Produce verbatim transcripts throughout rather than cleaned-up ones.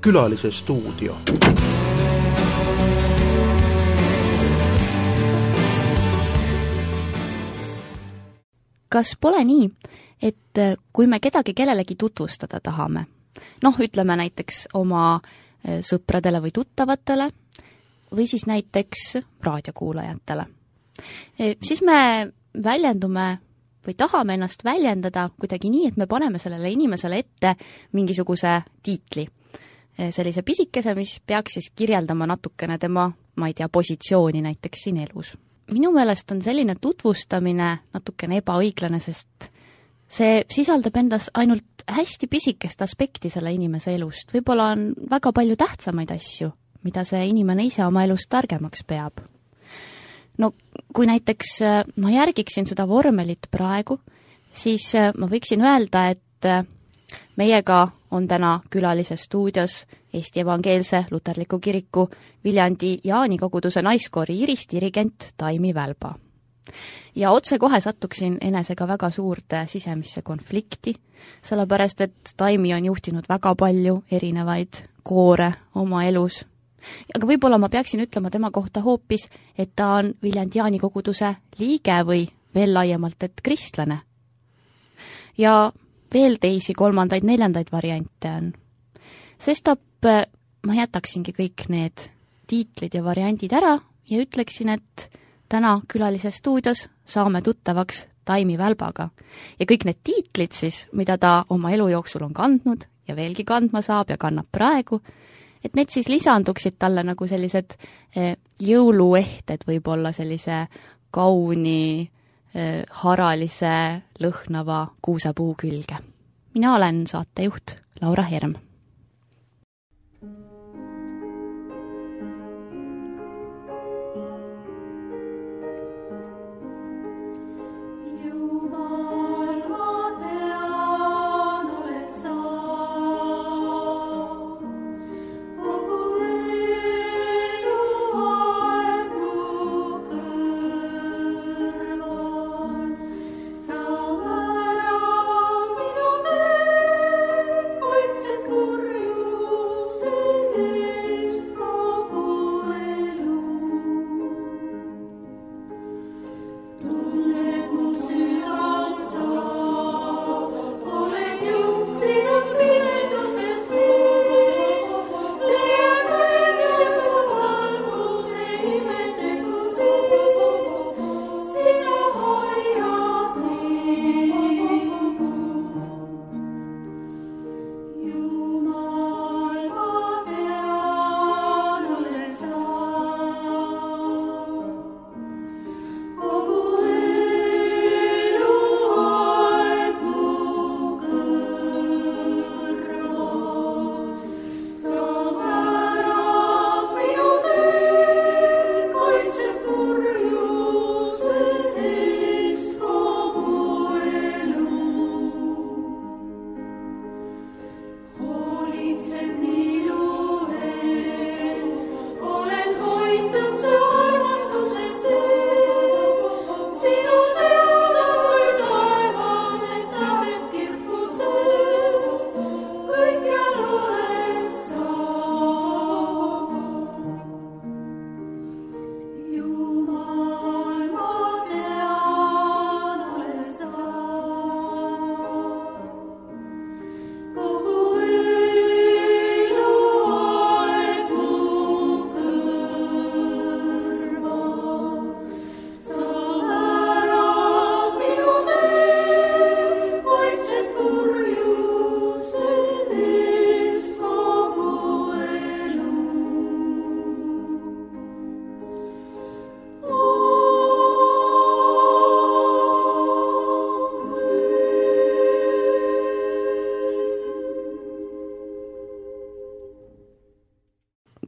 Külalise stuudio. Kas pole nii, et kui me kedagi kellelegi tutvustada tahame, noh, ütleme näiteks oma sõpradele või tuttavatele või siis näiteks raadiokuulajatele, siis me väljendume või tahame ennast väljendada kuidagi nii, et me paneme sellele inimesele ette mingisuguse tiitli. Sellise pisikese, mis peaks siis kirjeldama natukene tema, ma ei tea, positsiooni näiteks siin elus. Minu meelest on selline tutvustamine natukene ebaõiglane, sest see sisaldab endas ainult hästi pisikest aspekti selle inimese elust. Võib-olla on väga palju tähtsamaid asju, mida see inimene ise oma elust targemaks peab. No kui näiteks ma järgiksin seda vormelit praegu, siis ma võiksin öelda, et meiega on täna külalise stuudios Eesti Evangeelse Luterliku Kiriku Viljandi Jaani koguduse naiskoori Iris dirigent Taimi Välba. Ja otse kohe sattuksin enesega väga suurde sisemisse konflikti, sellepärast et Taimi on juhtinud väga palju erinevaid koore oma elus. Aga võib-olla ma peaksin ütlema tema kohta hoopis, et ta on Viljandi Jaani koguduse liige või veel laiemalt, et kristlane. Ja veel teisi kolmandaid, neljandaid variante on. Sestap ma jätaksingi kõik need tiitlid ja variandid ära ja ütleksin, et täna külalise stuudios saame tuttavaks Taimi Välbaga. Ja kõik need tiitlid siis, mida ta oma elu jooksul on kandnud ja veelgi kandma saab ja kannab praegu, et need siis lisanduksid talle nagu sellised jõuluehted võib-olla sellise kauni, haralise, lõhnava kuusapuu külge. Mina olen saatejuht Laura Herm.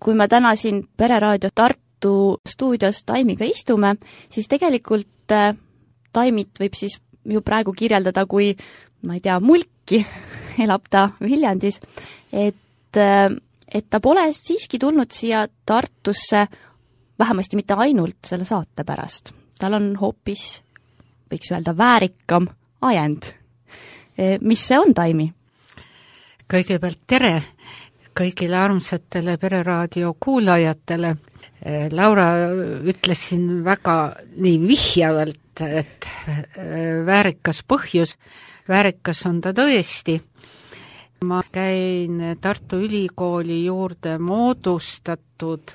Kui me täna siin Pereraadio Tartu stuudios Taimiga istume, siis tegelikult Taimit võib siis ju praegu kirjeldada kui, ma ei tea, mulki, elab ta Viljandis, et, et ta pole siiski tulnud siia Tartusse vähemasti mitte ainult selle saate pärast. Tal on hoopis, võiks öelda, väärikam ajend. Mis see on, Taimi? Kõigepealt tere kõigile armsatele Pereraadio kuulajatele. Laura ütles siin väga nii vihjavalt, et väärikas põhjus, väärikas on ta tõesti. Ma käin Tartu Ülikooli juurde moodustatud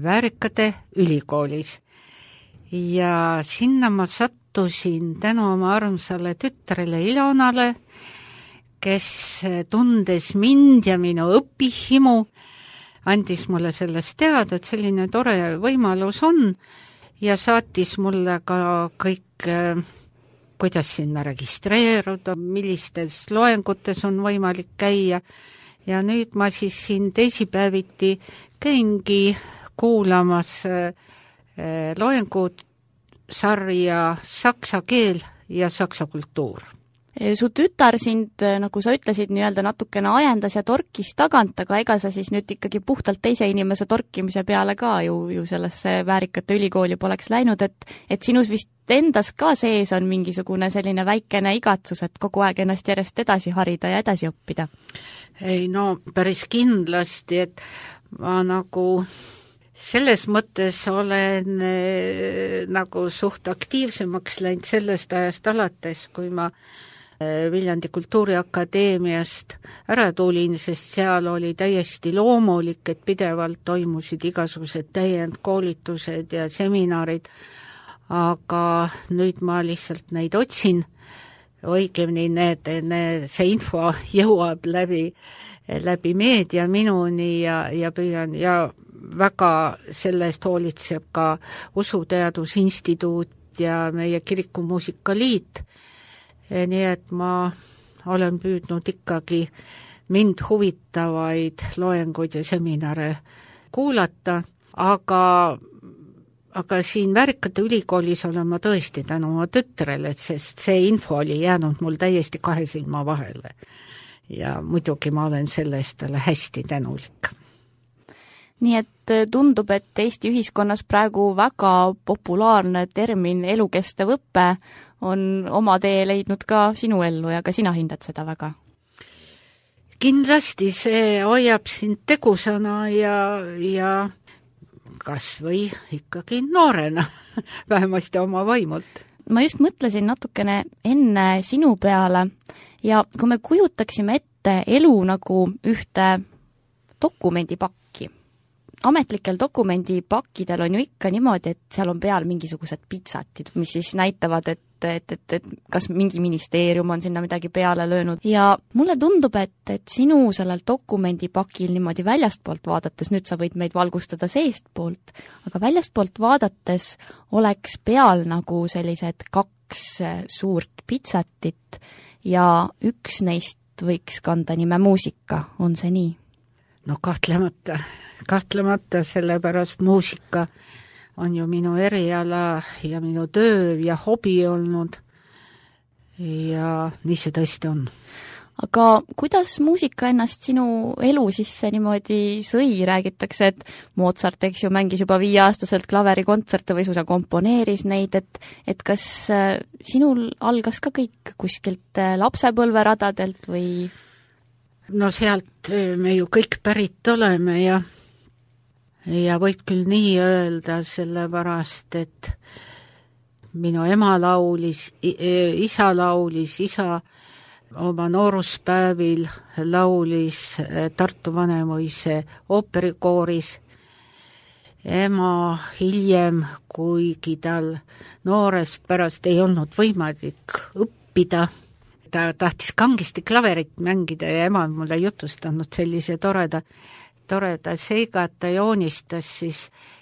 Väärikate ülikoolis ja sinna ma sattusin tänu oma armsale tütrele Ilonale, kes tundes mind ja minu õpihimu, andis mulle sellest teada, et selline tore võimalus on ja saatis mulle ka kõik, kuidas sinna registreeruda, millistes loengutes on võimalik käia. Ja nüüd ma siis siin teisipäeviti käingi kuulamas loengud sarja saksa keel ja saksa kultuur. Su tütar sind, nagu sa ütlesid, nii-öelda natukene ajendas ja torkis tagant, aga ega sa siis nüüd ikkagi puhtalt teise inimese torkimise peale ka ju, ju sellesse Väärikate ülikooli poleks läinud, et, et sinus vist endas ka sees on mingisugune selline väikene igatsus, et kogu aeg ennast järjest edasi harida ja edasi õppida? Ei, no päris kindlasti, et ma nagu selles mõttes olen eh, nagu suht aktiivsemaks läinud sellest ajast alates, kui ma Viljandi Kultuuriakadeemiast ära tulin, sest seal oli täiesti loomulik, et pidevalt toimusid igasugused täiendkoolitused ja seminarid, aga nüüd ma lihtsalt neid otsin, õigemini need, need, see info jõuab läbi, läbi meedia minuni ja, ja püüan ja väga sellest hoolitseb ka Usuteadusinstituut ja meie Kirikumuusikaliit. Nii et ma olen püüdnud ikkagi mind huvitavaid loenguid ja seminare kuulata, aga, aga siin Väärikate ülikoolis olen ma tõesti tänu oma tütrele, sest see info oli jäänud mul täiesti kahe silma vahele. Ja muidugi ma olen selle eest talle hästi tänulik. Nii et tundub, et Eesti ühiskonnas praegu väga populaarne termin elukestev õppe on oma tee leidnud ka sinu ellu ja ka sina hindad seda väga? Kindlasti see hoiab sind tegusana ja, ja kas või ikkagi noorena, vähemasti oma vaimult. Ma just mõtlesin natukene enne sinu peale ja kui me kujutaksime ette elu nagu ühte dokumendipakki, ametlikel dokumendipakkidel on ju ikka niimoodi, et seal on peal mingisugused pitsatid, mis siis näitavad, et, et, et, et kas mingi ministeerium on sinna midagi peale löönud. Ja mulle tundub, et, et sinu sellel dokumendipakil niimoodi väljastpoolt vaadates, nüüd sa võid meid valgustada seestpoolt, aga väljastpoolt vaadates oleks peal nagu sellised kaks suurt pitsatit ja üks neist võiks kanda nime muusika, on see nii? No kahtlemata, kahtlemata, sellepärast muusika on ju minu eriala ja minu töö ja hobi olnud ja nii see tõesti on. Aga kuidas muusika ennast sinu elu sisse niimoodi sõi? Räägitakse, et Mozart, eks ju, mängis juba viieaastaselt klaverikontserte või suisa komponeeris neid, et, et kas sinul algas ka kõik kuskilt lapsepõlveradadelt või? No sealt me ju kõik pärit oleme ja, ja võib küll nii öelda, sellepärast, et minu ema laulis, isa laulis, isa oma nooruspäevil laulis Tartu Vanemuise ooperikooris. Ema hiljem, kuigi tal noorest pärast ei olnud võimalik õppida, ta tahtis kangesti klaverit mängida ja ema on mulle jutustanud sellise toreda, toreda seiga, et ta joonistas siis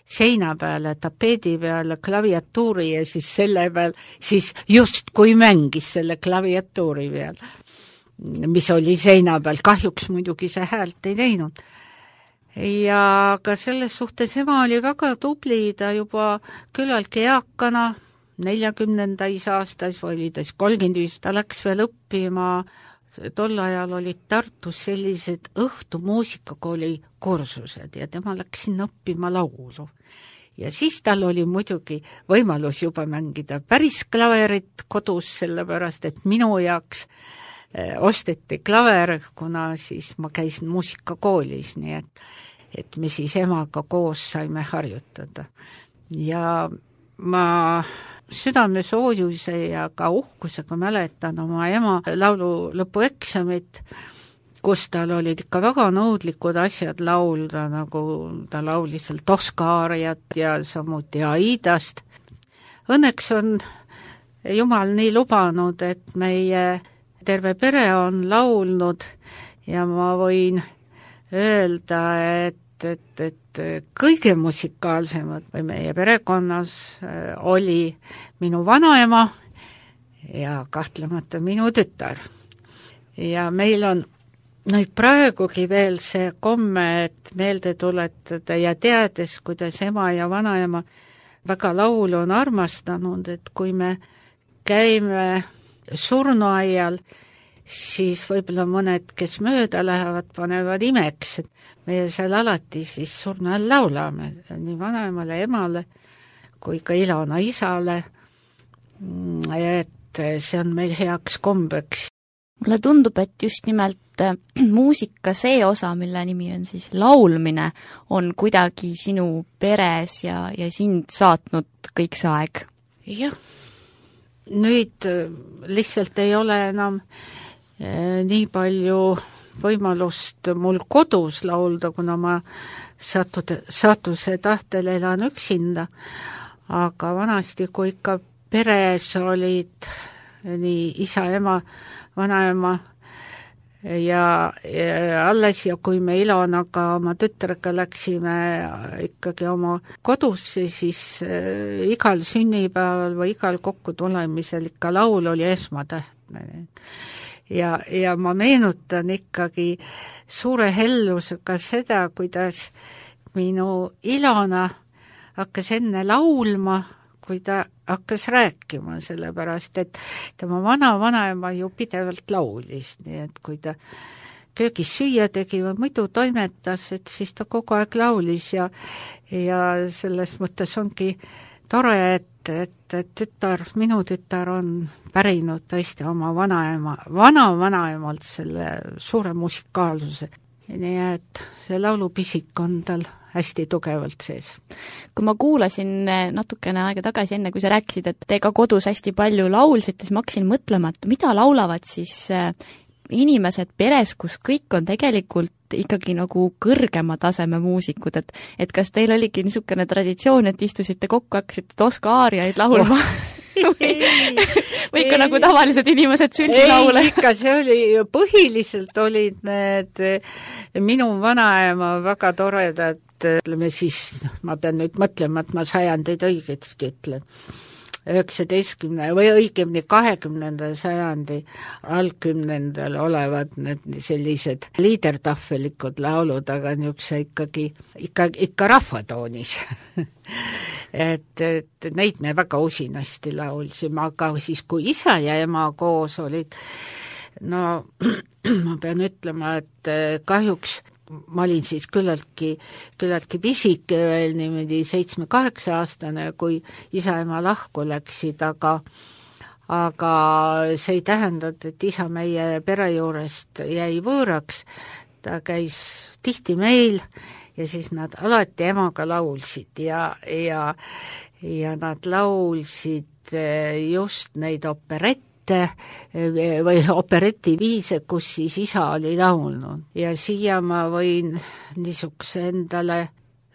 seina peale, tapeedi peale klaviatuuri ja siis selle peal, siis just kui mängis selle klaviatuuri peal, mis oli seina peal, kahjuks muidugi see häält ei teinud. Ja ka selles suhtes ema oli väga tubli, ta juba küllaltki eakana, neljakümnendais aastas või oli ta kolmkümmend viis, ta läks veel õppima, tol ajal olid Tartus sellised õhtumuusikakooli kursused ja tema läks sinna õppima laulu. Ja siis tal oli muidugi võimalus juba mängida päris klaverit kodus, sellepärast et minu jaoks osteti klaver, kuna siis ma käisin muusikakoolis, nii et, et me siis emaga koos saime harjutada. Ja ma südame soojuse ja ka uhkusega mäletan oma ema laulu lõpueksamit, kus tal olid ikka väga nõudlikud asjad laulda, nagu ta laulis seal Toskaariat ja samuti Aidast. Õnneks on Jumal nii lubanud, et meie terve pere on laulnud ja ma võin öelda, et, et, et kõige musikaalsemad või meie perekonnas oli minu vanaema ja kahtlemata minu tütar. Ja meil on nüüd praegugi veel see komme, et meelde tuletada ja teades, kuidas ema ja vanaema väga laulu on armastanud, et kui me käime surnuaial, siis võib-olla mõned, kes mööda lähevad, panevad imeks, et meie seal alati siis surnuajal laulame, nii vanaemale, emale kui ka Ilona isale, et see on meil heaks kombeks. Mulle tundub, et just nimelt muusika see osa, mille nimi on siis laulmine, on kuidagi sinu peres ja, ja sind saatnud kõik see aeg. Jah, nüüd lihtsalt ei ole enam eh, nii palju võimalust mul kodus laulda, kuna ma satud, satuse tahtel elan üksinda, aga vanasti, kui ikka peres olid nii isa, ema, vanaema ja, ja alles ja kui me Ilonaga oma tütrega läksime ikkagi oma kodusse, siis äh, igal sünnipäeval või igal kokkutulemisel ikka laul oli esmatähtne. Ja, ja ma meenutan ikkagi suure hellusega seda, kuidas minu Ilona hakkas enne laulma, kui ta hakkas rääkima, sellepärast, et tema vana-vanaema ju pidevalt laulis, nii et kui ta köögis süüa tegi või muidu toimetas, et siis ta kogu aeg laulis ja, ja selles mõttes ongi tore, et, et, et tütar, minu tütar on pärinud tõesti oma vanaema, vana-vanaemalt selle suure musikaalsuse. Nii et see laulupisik on tal hästi tugevalt sees. Kui ma kuulasin natukene aega tagasi enne, kui sa rääkisid, et te ka kodus hästi palju laulsite, siis ma hakkasin mõtlema, et mida laulavad siis inimesed peres, kus kõik on tegelikult ikkagi nagu kõrgema taseme muusikud, et, et kas teil oligi niisugune traditsioon, et istusite kokku, hakkasite Toskaariaid laulma? Oh. või, või ikka ei, nagu tavalised inimesed sünnilaule? Ei, ikka see oli, põhiliselt olid need minu vanaema väga toredad, ütleme siis, ma pean nüüd mõtlema, et ma sajandeid õigesti ütlen, üheksateistkümne või õigemini kahekümnenda sajandi algkümnendal olevad need sellised liidertahvelikud laulud, aga niisuguse ikkagi, ikka, ikka rahvatoonis. et, et neid me väga usinasti laulsime, aga siis kui isa ja ema koos olid, no ma pean ütlema, et kahjuks ma olin siis küllaltki, küllaltki pisike veel niimoodi seitsme-kaheksa aastane, kui isa-ema lahku läksid, aga, aga see ei tähendanud, et isa meie pere juurest jäi võõraks, ta käis tihti meil ja siis nad alati emaga laulsid ja, ja, ja nad laulsid just neid operette, või operetiviise, kus siis isa oli laulnud. Ja siia ma võin niisuguse endale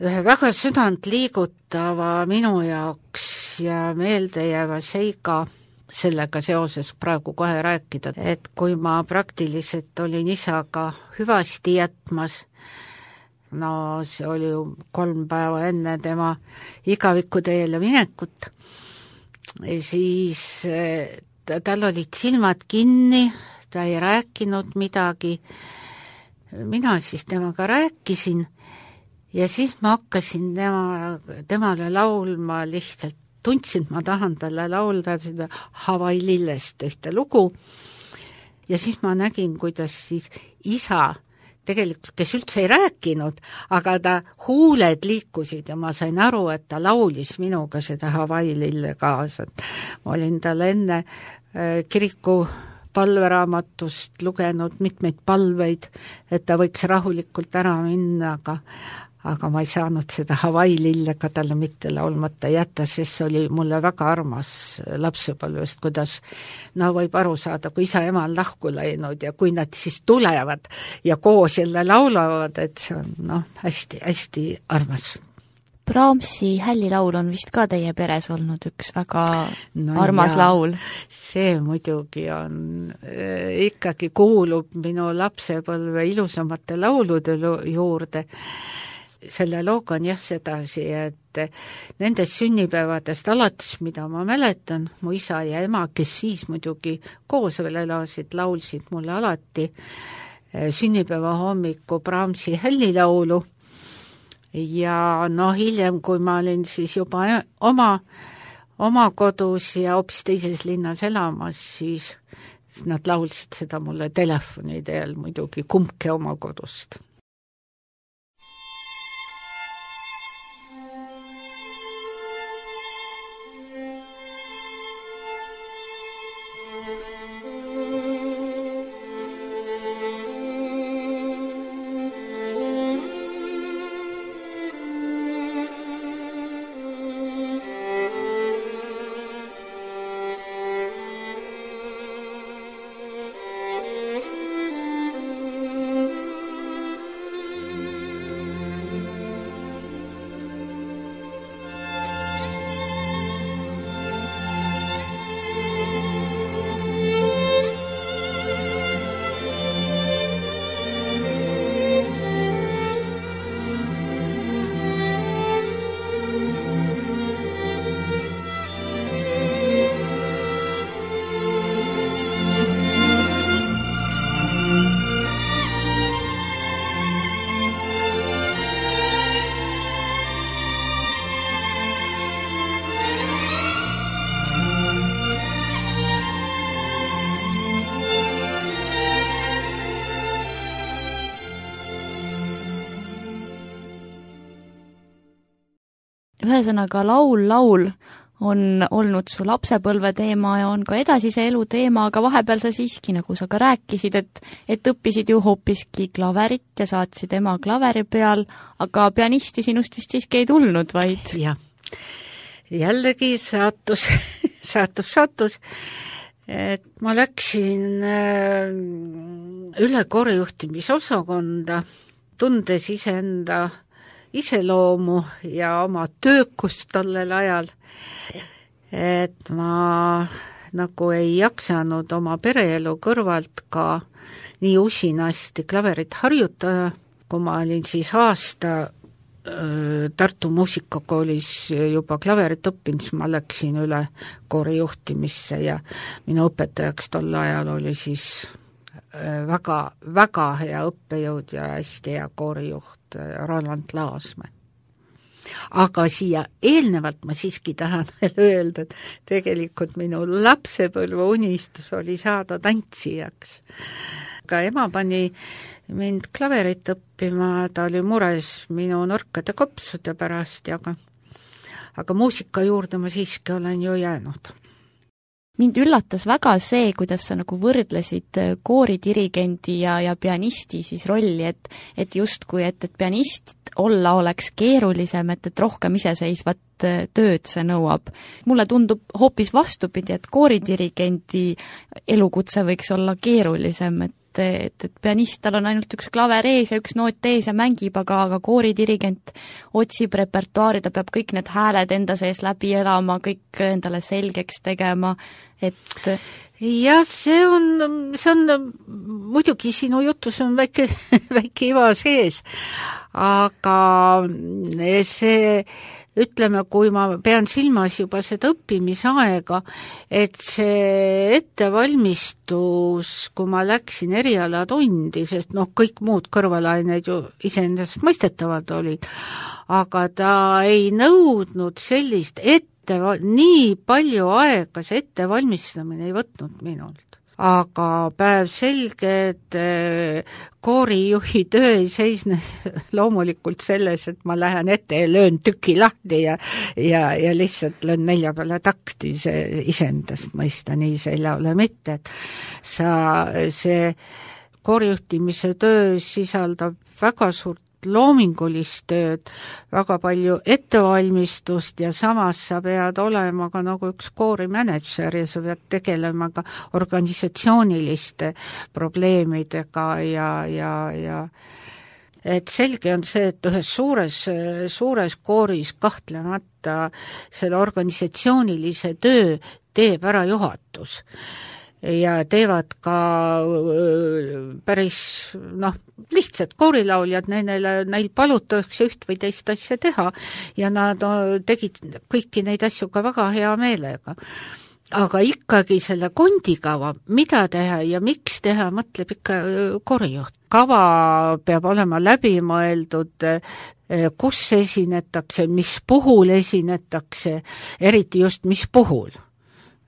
ühe väga südant liigutava minu jaoks ja meeldejääva seiga sellega seoses praegu kohe rääkida, et kui ma praktiliselt olin isaga hüvasti jätmas, no see oli ju kolm päeva enne tema igaviku teele minekut, siis tal olid silmad kinni, ta ei rääkinud midagi. Mina siis temaga rääkisin ja siis ma hakkasin tema, temale laulma lihtsalt. Tundsin, ma tahan talle laulda seda Hawaii lillest ühte lugu. Ja siis ma nägin, kuidas siis isa, tegelikult kes üldse ei rääkinud, aga ta huuled liikusid ja ma sain aru, et ta laulis minuga seda Hawaii lille kaasa. Ma olin talle enne kiriku palveraamatust lugenud mitmeid palveid, et ta võiks rahulikult ära minna, aga aga ma ei saanud seda Hawaii lille ka talle mitte laulmata jätta, sest see oli mulle väga armas lapsepõlvest, kuidas no võib aru saada, kui isa ema on lahku läinud ja kui nad siis tulevad ja koos jälle laulavad, et see on noh, hästi, hästi armas. Brahmsi Hällilaul on vist ka teie peres olnud üks väga no armas jaa, laul. See muidugi on, äh, ikkagi kuulub minu lapsepõlve ilusamate laulude juurde. Selle looga on jah sedasi, et nendest sünnipäevadest alates, mida ma mäletan, mu isa ja ema, kes siis muidugi koos veel elasid, laulsid mulle alati sünnipäeva hommiku Brahmsi Hällilaulu ja no hiljem, kui ma olin siis juba oma, oma kodus ja hoopis teises linnas elamas, siis nad laulsid seda mulle telefoni teel muidugi kumbki oma kodust. Ühesõnaga, laul, laul on olnud su lapsepõlve teema ja on ka edasise elu teema, aga vahepeal sa siiski, nagu sa ka rääkisid, et, et õppisid ju hoopiski klaverit ja saatsid ema klaveri peal, aga pianisti sinust vist siiski ei tulnud, vaid... jah, jällegi saatus, saatus, saatus, et ma läksin üle koorijuhtimisosakonda, tundes iseenda iseloomu ja oma töökust tollel ajal, et ma nagu ei jaksanud oma pereelu kõrvalt ka nii usinasti klaverit harjutada, kui ma olin siis aasta Tartu muusikakoolis juba klaverit õppinud, siis ma läksin üle koorijuhtimisse ja minu õpetajaks tol ajal oli siis väga, väga hea õppejõud ja hästi hea koorijuht Roland Laasmäe. Aga siia eelnevalt ma siiski tahan veel öelda, et tegelikult minu lapsepõlve unistus oli saada tantsijaks. Ka ema pani mind klaverit õppima, ta oli mures minu norkade kopsude pärast, aga, aga muusika juurde ma siiski olen ju jäänud. Mind üllatas väga see, kuidas sa nagu võrdlesid kooridirigendi ja, ja pianisti siis rolli, et, et justkui, et, et pianist olla oleks keerulisem, et, et rohkem iseseisvat tööd see nõuab. Mulle tundub hoopis vastupidi, et kooridirigendi elukutse võiks olla keerulisem, et et, et pianist, tal on ainult üks klaver ees ja üks noot ees ja mängib, aga, aga kooridirigent otsib repertuaari, ta peab kõik need hääled enda sees läbi elama, kõik endale selgeks tegema, et ja see on, see on muidugi sinu jutus on väike, väike iva sees, aga see ütleme, kui ma pean silmas juba seda õppimisaega, et see ettevalmistus, kui ma läksin erialatundi, sest noh, kõik muud kõrvalaineid ju iseendast mõistetavad olid, aga ta ei nõudnud sellist ette, nii palju aega see ettevalmistamine ei võtnud minult. aga päev selge, et koorijuhi töö ei seisne loomulikult selles, et ma lähen ette ja löön tüki lahti ja, ja, ja lihtsalt löön nelja peale takti, see iseendast mõista, nii see ei ole mitte, et sa, see koorijuhtimise töö sisaldab väga suurt loomingulist tööd, väga palju ettevalmistust ja samas sa pead olema ka nagu üks koorimänedžer ja sa pead tegelema ka organisatsiooniliste probleemidega ja, ja, ja et selge on see, et ühes suures, suures kooris kahtlemata selle organisatsioonilise töö teeb ära juhatus ja teevad ka päris noh, lihtsalt koorilauljad, neile, neil palutakse üht või teist asja teha ja nad tegid kõiki neid asju ka väga hea meelega. Aga ikkagi selle kondikava, mida teha ja miks teha, mõtleb ikka koorijuht. Kava peab olema läbimõeldud, kus esinetakse, mis puhul esinetakse, eriti just mis puhul.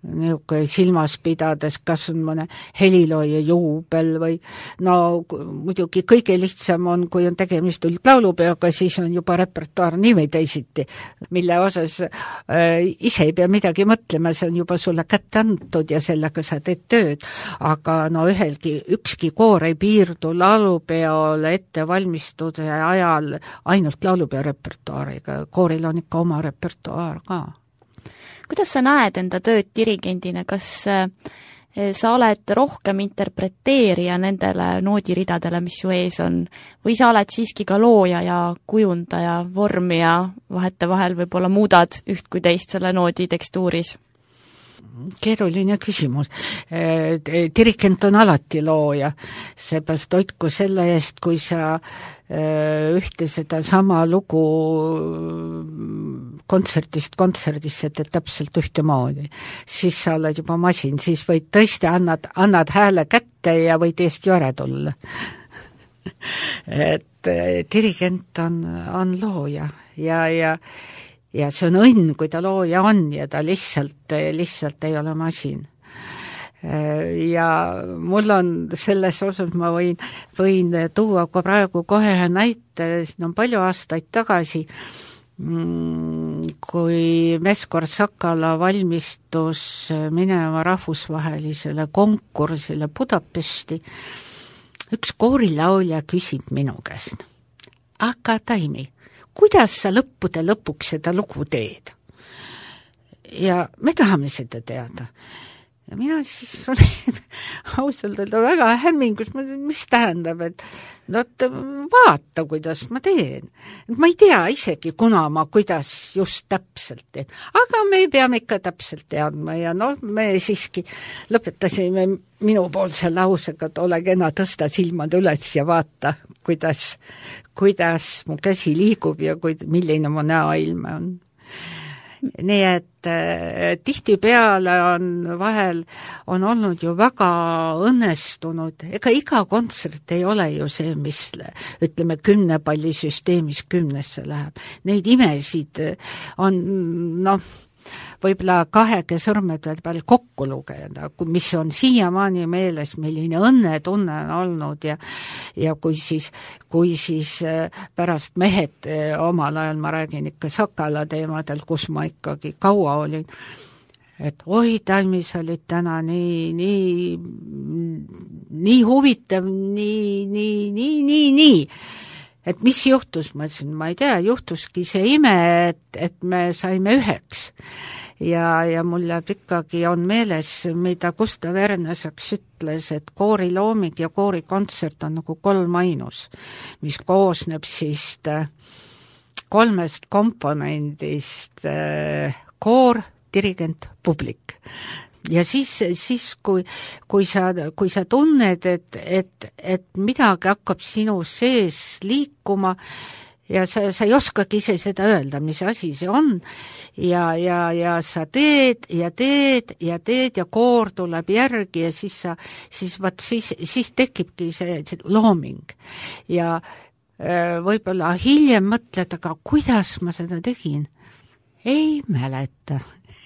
Niisugune silmas pidades, kas on mõne helilooja juubel või no muidugi kõige lihtsam on, kui on tegemist üldlaulupeoga, siis on juba repertuaar nii või teisiti, mille osas äh, ise ei pea midagi mõtlema, see on juba sulle kätte antud ja sellega sa teed tööd, aga no ühelgi, ükski koor ei piirdu laulupeole ettevalmistuse ajal ainult laulupeo repertuaariga, kooril on ikka oma repertuaar ka. Kuidas sa näed enda tööd dirigendina, kas sa oled rohkem interpreteerija nendele noodiridadele, mis su ees on, või sa oled siiski ka looja ja kujundaja vormi ja vahetevahel võib-olla muudad üht kui teist selle noodi tekstuuris? Keeruline küsimus. Dirigent on alati looja, seepärast hoidku selle eest, kui sa ühte seda sama lugu kontserdist kontserdisse teed täpselt ühtemoodi, siis sa oled juba masin, siis võid tõesti annad, annad hääle kätte ja võid eest ju ära tulla. Et dirigent on, on looja ja, ja ja see on õnn, kui ta looja on ja ta lihtsalt, lihtsalt ei ole masin. Ja mul on selles osas, ma võin, võin tuua ka praegu kohe näite, siin on palju aastaid tagasi, kui Meskor Sakala valmistus minema rahvusvahelisele konkursile Budapesti, üks koorilaulja küsib minu käest, aga Taimi, kuidas sa lõppude lõpuks seda lugu teed? Ja me tahame seda teada. Ja mina siis olin ausalt öelda väga hämmingus, mis tähendab, et no vaata, kuidas ma teen. Et ma ei tea isegi, kuna ma kuidas just täpselt teen. Aga me peame ikka täpselt teadma ja no me siiski lõpetasime minu poolse lausega, et ole kena, tõsta silmad üles ja vaata, kuidas, kuidas mu käsi liigub ja kuid, milline mu näoilme on. Nii et äh, tihtipeale on vahel on olnud ju väga õnnestunud, ega iga kontsert ei ole ju see, mis ütleme kümne palli süsteemis kümnesse läheb. Neid imesid on noh, võib-olla kahege sõrmede peal kokku lugeda, mis on siiamaani meeles, milline õnnetunne on olnud ja, ja kui siis, kui siis pärast mehed omal ajal, ma räägin ikka Sakala teemadel, kus ma ikkagi kaua olin, et oi, Taimi, sa olid täna nii, nii, nii huvitav, nii, nii, nii, nii, nii. Et mis juhtus, ma ütlesin, ma ei tea, juhtuski see ime, et, et me saime üheks. Ja, ja mul jääb ikkagi on meeles, mida Gustav Ernesaks ütles, et koorilooming ja koorikontsert on nagu kolm ainus, mis koosneb siis kolmest komponendist, koor, dirigent, publik. Ja siis, siis kui, kui, sa, kui sa tunned, et, et, et midagi hakkab sinu sees liikuma ja sa, sa ei oskagi ise seda öelda, mis asi see on ja, ja, ja sa teed ja teed ja teed ja koor tuleb järgi ja siis, sa, siis, vaat, siis, siis tekibki see, see looming ja äh, võib-olla hiljem mõtled, aga kuidas ma seda tegin? ei mäleta,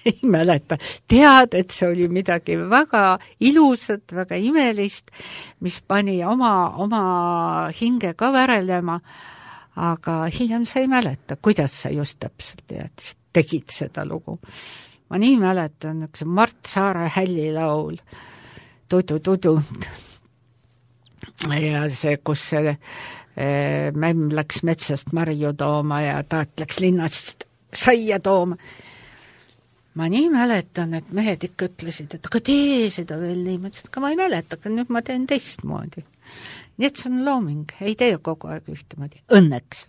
ei mäleta. Tead, et see oli midagi väga ilusat, väga imelist, mis pani oma, oma hinge ka värelema, aga hiljem sa ei mäleta, kuidas sa just täpselt tead, tegid seda lugu. Ma nii mäletan, üks Mart Saare hällilaul, Tudu-tudu, ja see, kus see e, mämm läks metsast marju tooma ja taat läks linnast saia tooma. Ma nii mäletan, et mehed ikka ütlesid, et aga tee seda veel nii, ma ütlesin, et ma ei mäleta, aga nüüd ma teen teistmoodi. Nii et see on looming, ei tee kogu aeg ühtemoodi, õnneks.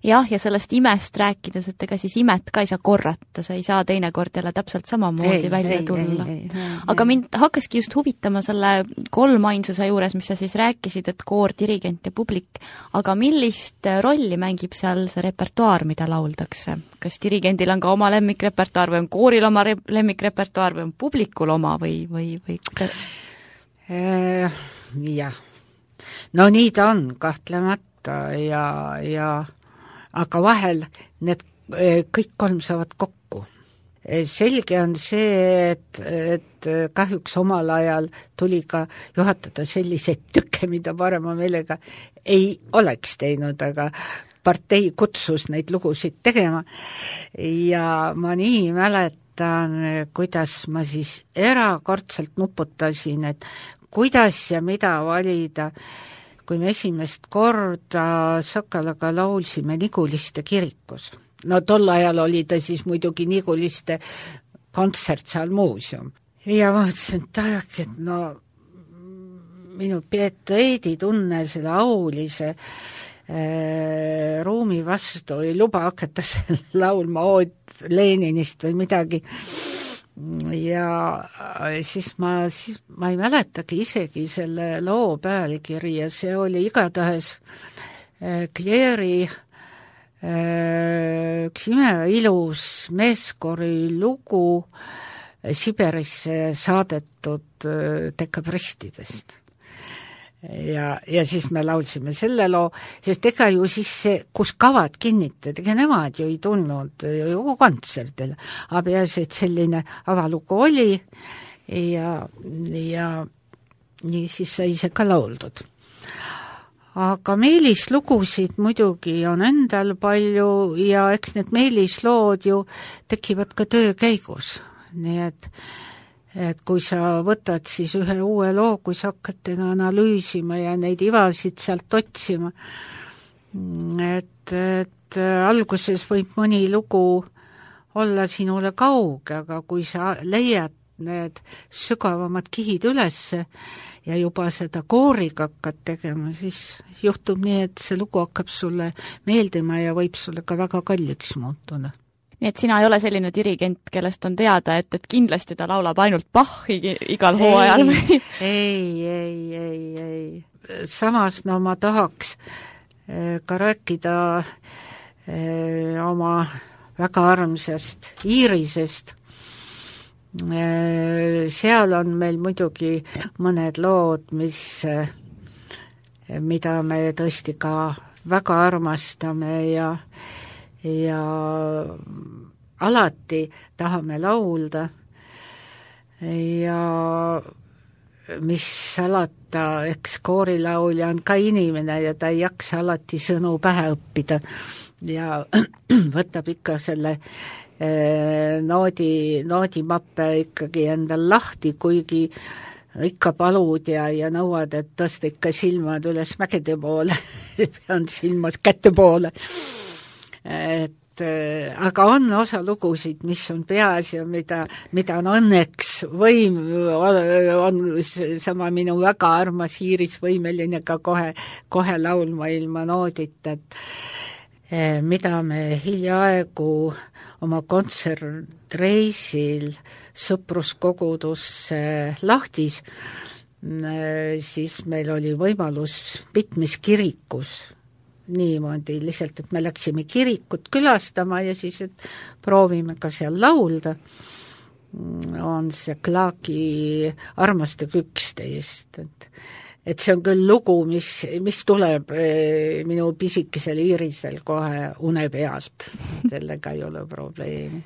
Jah, ja sellest imest rääkides, et ega siis imet ka ei saa korrata, sa ei saa teinekord jälle täpselt samamoodi ei, välja ei, tulla. Ei, ei, ei, aga mind hakkaski just huvitama selle kolmainsuse juures, mis sa siis rääkisid, et koor, dirigent ja publik, aga millist rolli mängib seal see repertuaar, mida lauldakse? Kas dirigendil on ka oma lemmikrepertuaar või on kooril oma re- lemmikrepertuaar või on publikul oma või, või, või... Äh, jah, no nii ta on kahtlemata. Ja, ja aga vahel need kõik kolm saavad kokku. Selge on see, et, et kahjuks omal ajal tuli ka juhatada selliseid tükke, mida parema meelega ei oleks teinud, aga partei kutsus neid lugusid tegema ja ma nii mäletan, kuidas ma siis erakordselt nuputasin, et kuidas ja mida valida, kui me esimest korda Sakalaga laulsime Niguliste kirikus. No tol ajal oli ta siis muidugi Niguliste kontsertsaal muuseum. Ja ma mõtlesin, et tahaki, et no minu pieteedi tunne selle aulise äh, ruumi vastu ei luba hakata seal laulma ood Leninist või midagi. Ja siis ma, siis ma ei mäletagi isegi selle loo pealkiri ja see oli igatahes äh, Kleeri äh, üks imeilus meeskori lugu Siberisse saadetud äh, dekabristidest. Ja, ja siis me laulsime selle loo, sest ega ju siis see, kus kavad kinnitad, ega nemad ju ei tulnud ju kontserdile, aga peaasi, et selline avalugu oli ja, ja nii siis sai see ka lauldud. Aga meelislugusid muidugi on endal palju ja eks need meelislood ju tekivad ka töö käigus, nii et et kui sa võtad siis ühe uue loo, kui sa hakkad teda analüüsima ja neid ivasid sealt otsima, et, et alguses võib mõni lugu olla sinule kauge, aga kui sa leiad need sügavamad kihid ülesse ja juba seda kooriga hakkad tegema, siis juhtub nii, et see lugu hakkab sulle meeldima ja võib sulle ka väga kalliks muutuda. Nii et sina ei ole selline dirigent, kellest on teada, et, et kindlasti ta laulab ainult Bachi igal hooajal või? Ei, ei, ei, ei. Samas no ma tahaks ka rääkida oma väga armsast Iirisest. Seal on meil muidugi mõned lood, mis, mida me tõesti ka väga armastame ja ja alati tahame laulda ja mis salata, eks koorilaulja on ka inimene ja ta ei jaksa alati sõnu pähe õppida ja võtab ikka selle eh, noodi, noodimappe ikkagi endal lahti, kuigi ikka palud ja, ja nõuad, et tõsta ikka silmad üles mägede poole, pean silmas kätte poole. Et, aga on osa lugusid, mis on peas ja mida, mida on õnneks võim, on sama minu väga armas Iiris võimeline ka kohe, kohe laulma ilma noodita, et mida me hiljaaegu oma kontsertreisil sõpruskogudusse Lahtis, siis meil oli võimalus mitmes kirikus niimoodi lihtsalt, et me läksime kirikut külastama ja siis, et proovime ka seal laulda. On see Klaaki Armastage üksteist, et, et see on küll lugu, mis, mis tuleb minu pisikesel Iirisel kohe une pealt. Sellega ei ole probleemi.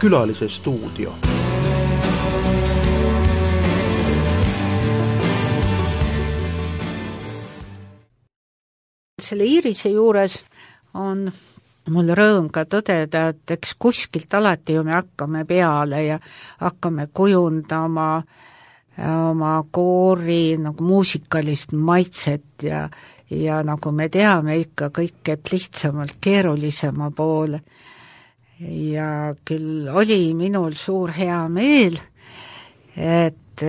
Külalise stuudio. Selle Iirise juures on mul rõõm ka tõdeda, et eks kuskilt alati ju me hakkame peale ja hakkame kujundama oma koori nagu muusikalist maitset ja, ja nagu me teame, ikka kõik käib lihtsamalt keerulisema poole. Ja küll oli minul suur hea meel, et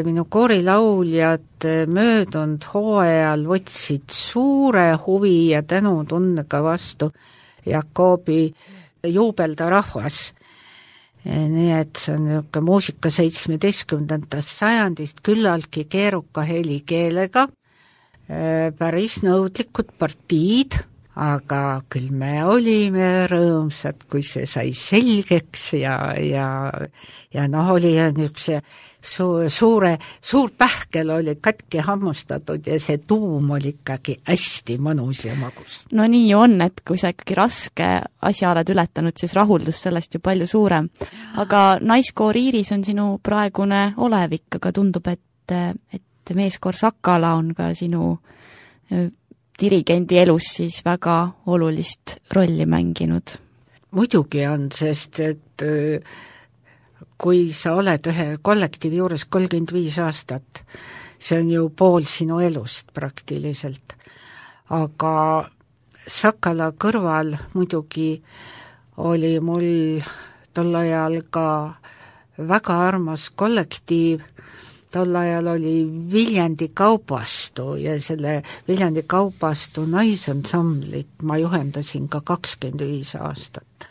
minu koorilauljad möödunud hooajal võtsid suure huvi ja tänutundega vastu Jakobi juubelda rahvas. Nii et see on niisugune muusika seitsmeteistkümnendast sajandist küllaltki keeruka helikeelega, päris nõudlikud partiid, aga küll me olime rõõmsad, kui see sai selgeks ja, ja, ja noh, oli niisuguse su, suure, suur pähkel oli katki hammustatud ja see tuum oli ikkagi hästi mõnus ja magus. No nii on, et kui sa ikkagi raske asja oled ületanud, siis rahuldus sellest ju palju suurem. Aga naiskoor Iiris on sinu praegune olevik, aga tundub, et, et meeskoor Sakala on ka sinu dirigendi elus siis väga olulist rolli mänginud. Muidugi on, sest et kui sa oled ühe kollektiivi juures kolmkümmend viis aastat, see on ju pool sinu elust praktiliselt. Aga Sakala kõrval muidugi oli mul tol ajal ka väga armas kollektiiv. Tol ajal oli Viljandi Kaubastu ja selle Viljandi Kaubastu naisansamblit ma juhendasin ka kakskümmend viis aastat.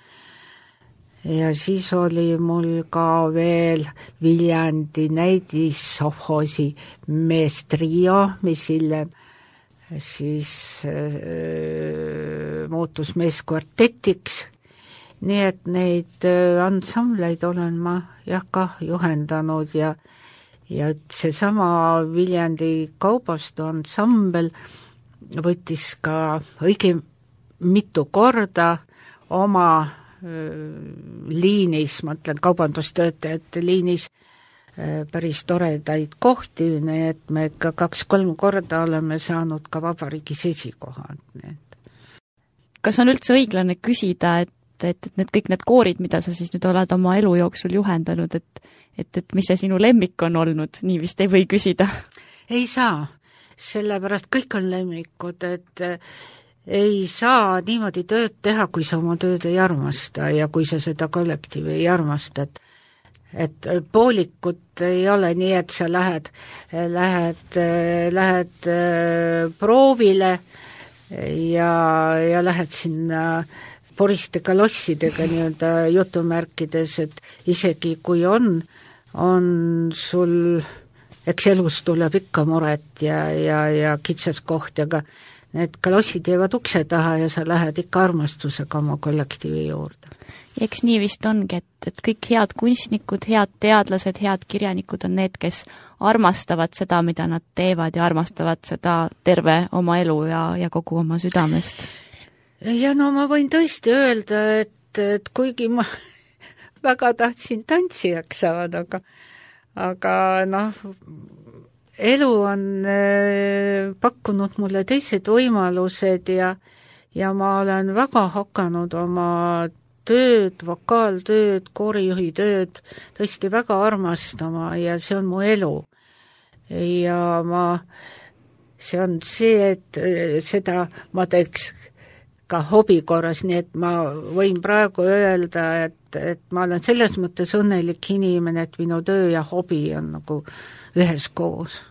Ja siis oli mul ka veel Viljandi näidissovhoosi meestrio, mis hiljem siis äh, muutus meeskvartetiks. Nii et neid äh, ansambleid olen ma jah ka juhendanud ja Ja seesama Viljandi Kaubastu ansambel võttis ka õige mitu korda oma liinis, ma ütlen kaubandustöötajate liinis, päris toredaid kohti, nii et me ka kaks-kolm korda oleme saanud ka vabariigis esikohad. Kas on üldse õiglane küsida, et, et, et need kõik need koorid, mida sa siis nüüd oled oma elu jooksul juhendanud, et, et, et mis see sinu lemmik on olnud, nii vist ei või küsida? Ei saa, sellepärast kõik on lemmikud, et ei saa niimoodi tööd teha, kui sa oma tööd ei armasta ja kui sa seda kollektiivi ei armasta, et et poolikut ei ole nii, et sa lähed, lähed, lähed proovile ja, ja lähed sinna poriste kalossidega nii-öelda jutumärkides, et isegi kui on, on sul, eks elus tuleb ikka muret ja, ja, ja kitsaskoht, aga need kalossid jäävad ukse taha ja sa lähed ikka armastusega oma kollektiivi juurde. Ja eks nii vist ongi, et, et kõik head kunstnikud, head teadlased, head kirjanikud on need, kes armastavad seda, mida nad teevad ja armastavad seda terve oma elu ja, ja kogu oma südamest. Ja no ma võin tõesti öelda, et, et kuigi ma väga tahtsin tantsijaks saada, aga, aga noh, elu on äh, pakkunud mulle teised võimalused ja, ja ma olen väga hakanud oma tööd, vokaaltööd, koorijuhi tööd tõesti väga armastama ja see on mu elu. Ja ma, see on see, et seda ma teeks ka hobi korras, nii et ma võin praegu öelda, et, et ma olen selles mõttes õnnelik inimene, et minu töö ja hobi on nagu ühes koos.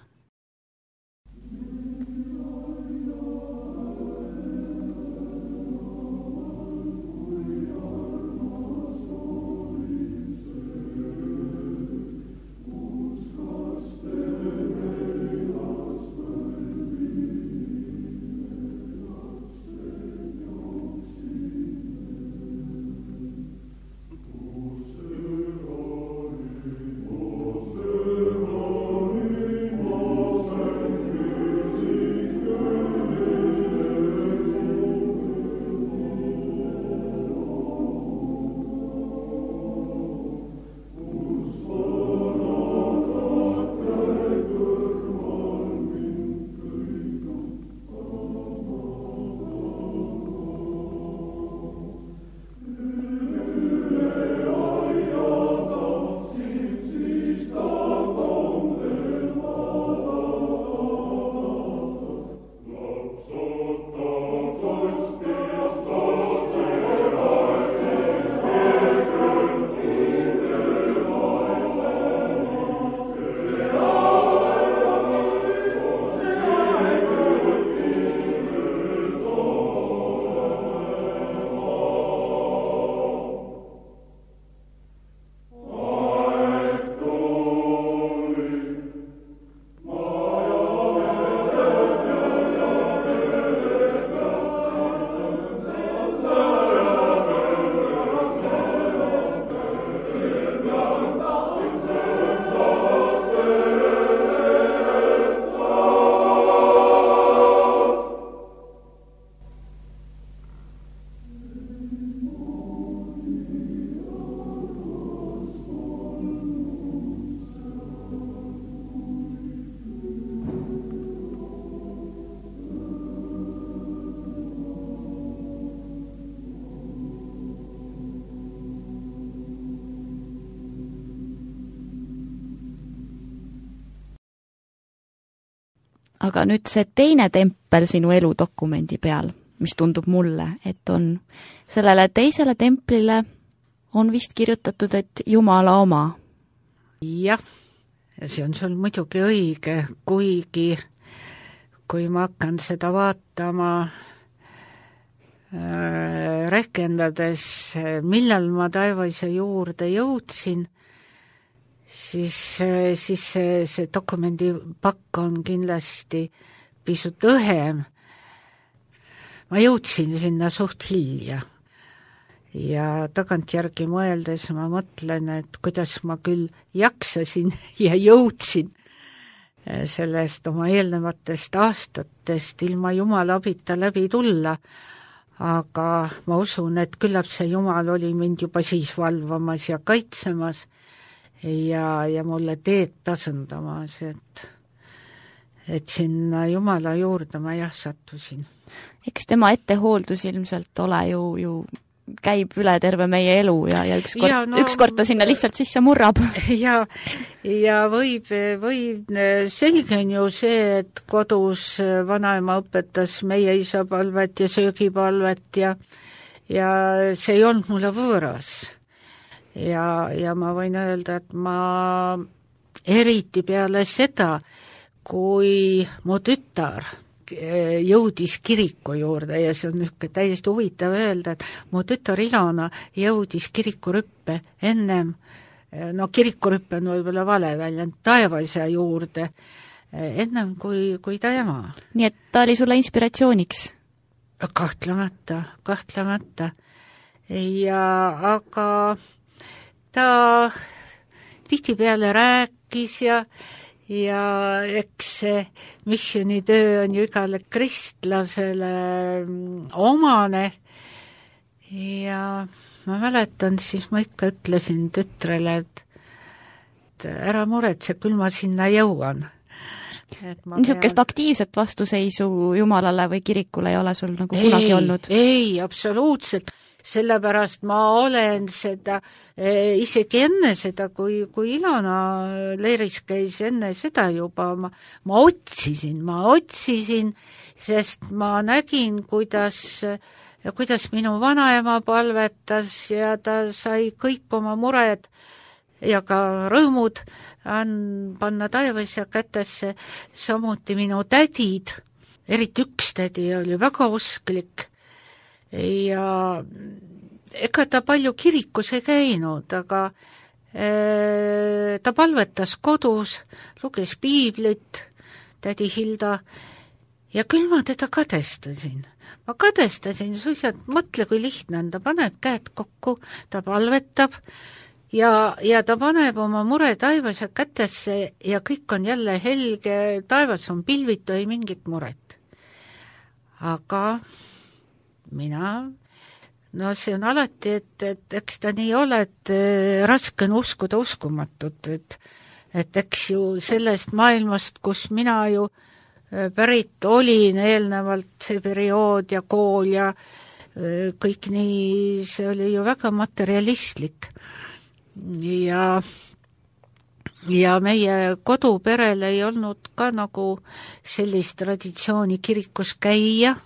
Aga nüüd see teine tempel sinu eludokumendi peal, mis tundub mulle, et on sellele teisele templile on vist kirjutatud, et Jumala oma. Jah, see on sul muidugi õige, kuigi kui ma hakkan seda vaatama äh, rehkendades, millal ma taevaise juurde jõudsin, siis, siis see, see dokumendi pakk on kindlasti pisut õhem. Ma jõudsin sinna suht hilja ja tagantjärgi mõeldes ma mõtlen, et kuidas ma küll jaksasin ja jõudsin sellest oma eelnevatest aastatest ilma Jumala abita läbi tulla, aga ma usun, et küllap see Jumal oli mind juba siis valvamas ja kaitsemas ja, ja mulle teed tasandamas, et et sinna Jumala juurde ma jah sattusin. Eks tema ettehooldus ilmselt ole ju, ju käib üle terve meie elu ja, ja ükskord ja, no, ükskord ta sinna lihtsalt sisse murrab. Ja, ja võib, võib, selge on ju see, et kodus vanaema õpetas meie isapalvet ja söögipalvet ja, ja see ei olnud mulle võõras. Ja, ja ma võin öelda, et ma eriti peale seda, kui mu tütar jõudis kiriku juurde ja see on niisugune täiesti huvitav öelda, et mu tütar Ilona jõudis kirikurüppe ennem, no kirikurüppe on võib-olla vale väljend, taevaisa juurde ennem kui, kui ta ema. Nii et ta oli sulle inspiratsiooniks? Kahtlemata, kahtlemata. Ja aga ta tihtipeale rääkis ja ja eks see missionitöö on ju igale kristlasele omane ja ma mäletan, siis ma ikka ütlesin tütrele, et ära muretse, küll ma sinna jõuan. Niisugust pean... aktiivset vastuseisu Jumalale või kirikule ei ole sul nagu ei, kunagi olnud? Ei, absoluutselt. Sellepärast ma olen seda, isegi enne seda, kui, kui Ilona leiris käis, enne seda juba, ma, ma otsisin, ma otsisin, sest ma nägin, kuidas, kuidas minu vanaema palvetas ja ta sai kõik oma mured ja ka rõõmud panna taevaisa kätesse, samuti minu tädid, eriti üks tädi oli väga usklik, ja ega ta palju kirikus ei käinud, aga e, ta palvetas kodus, luges piiblit, tädi Hilda, ja küll ma teda kadestasin. Ma kadestasin suisa, et mõtle, kui lihtne on, ta paneb käed kokku, ta palvetab ja, ja ta paneb oma mure taevas ja kätesse ja kõik on jälle helge, taevas on pilvitu, ei mingit muret. Aga mina, no see on alati, et, et eks ta nii ole, et raske on uskuda uskumatut, et, et eks ju sellest maailmast, kus mina ju pärit olin eelnevalt, see periood ja kool ja kõik nii, see oli ju väga materialistlik. Ja, ja meie koduperel ei olnud ka nagu sellist traditsiooni kirikus käia,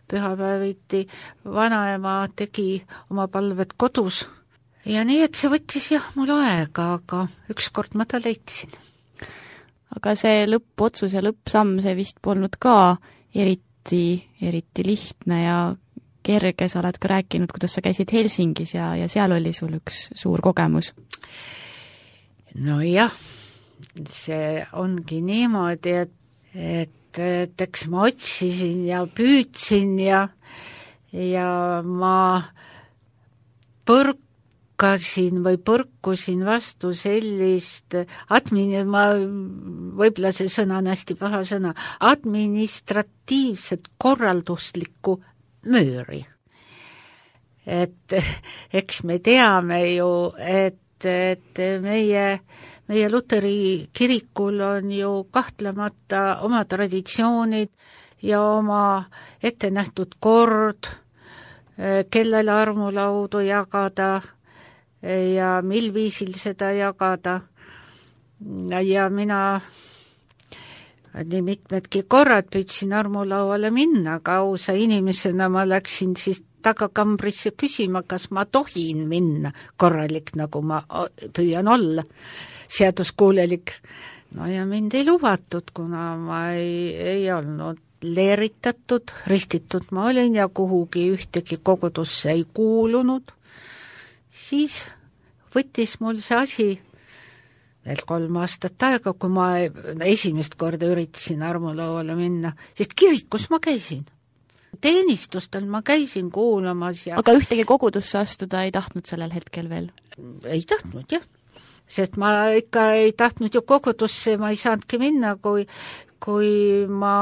pühapäeviti vanaema tegi oma palved kodus ja nii, et see võttis jah mul aega, aga ükskord ma ta leidsin. Aga see lõppotsus ja lõppsamm, see vist polnud ka eriti, eriti lihtne ja kerge, sa oled ka rääkinud, kuidas sa käisid Helsingis ja, ja seal oli sul üks suur kogemus. No jah, see ongi niimoodi, et, et et eks ma otsisin ja püüdsin ja, ja ma põrkasin või põrkusin vastu sellist admin-, ma, võib-olla see sõna on hästi paha sõna, administratiivset korralduslikku mööri. Et eks me teame ju, et, et meie meie Luteri kirikul on ju kahtlemata oma traditsioonid ja oma ettenähtud kord, kellele armulaudu jagada ja mil viisil seda jagada. Ja mina nii mitmedki korrad püüdsin armulauale minna, aga ausa inimesena ma läksin siis tagakambrisse küsima, kas ma tohin minna korralik, nagu ma püüan olla. Seaduskuulelik. No ja mind ei lubatud, kuna ma ei, ei olnud leeritatud, ristitud ma olin ja kuhugi ühtegi kogudusse ei kuulunud. Siis võttis mul see asi veel kolm aastat aega, kui ma esimest korda üritasin armulauale minna, sest kirikus ma käisin. Teenistustel ma käisin kuulamas ja... Aga ühtegi kogudusse astuda ei tahtnud sellel hetkel veel? Ei tahtnud, jah. Sest ma ikka ei tahtnud ju kogudusse, ma ei saanudki minna, kui, kui ma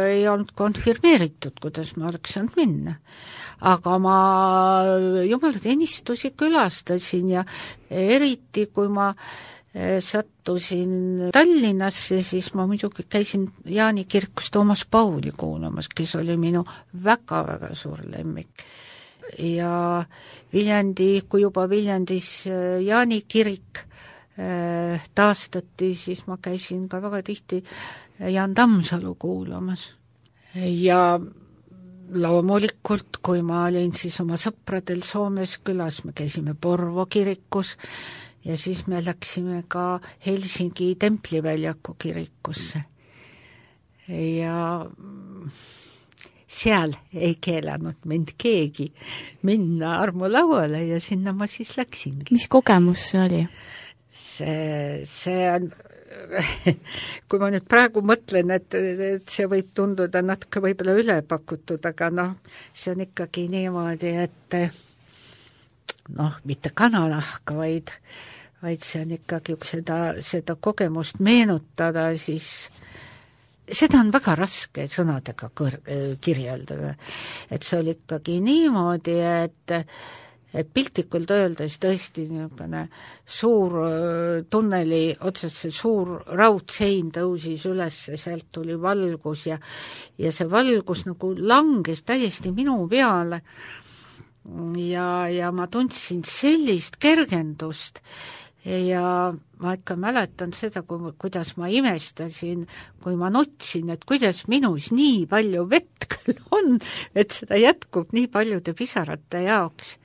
ei olnud konfirmeeritud, kuidas ma oleks saanud minna. Aga ma jumalateenistusi külastasin ja eriti, kui ma sattusin Tallinnasse, siis ma muidugi käisin Jaani kirikus Toomas Pauli kuulamas, kes oli minu väga-väga suur lemmik. Ja Viljandi, kui juba Viljandis Jaani kirik taastati, siis ma käisin ka väga tihti Jaan Tammsalu kuulamas. Ja loomulikult, kui ma olin siis oma sõpradel Soomes külas, me käisime Porvo kirikus ja siis me läksime ka Helsingi Templiväljaku kirikusse. Ja seal ei keelanud mind keegi minna armulauale ja sinna ma siis läksingi. Mis kogemus see oli? See, see on, kui ma nüüd praegu mõtlen, et, et see võib tunduda natuke võib-olla ülepakutud, aga noh, see on ikkagi niimoodi, et noh, mitte kananahka, vaid, vaid see on ikkagi, kui seda, seda kogemust meenutada, siis seda on väga raske sõnadega kõr- kirjeldada. Et see oli ikkagi niimoodi, et et piltlikult öeldes tõesti niisugune suur tunneli otsas see suur raudsein tõusis üles, sealt tuli valgus ja, ja see valgus nagu langes täiesti minu peale ja, ja ma tundsin sellist kergendust ja ma ikka mäletan seda, kui, kuidas ma imestasin, kui ma nutsin, et kuidas minus nii palju vett küll on, et seda jätkub nii paljude pisarate jaoks.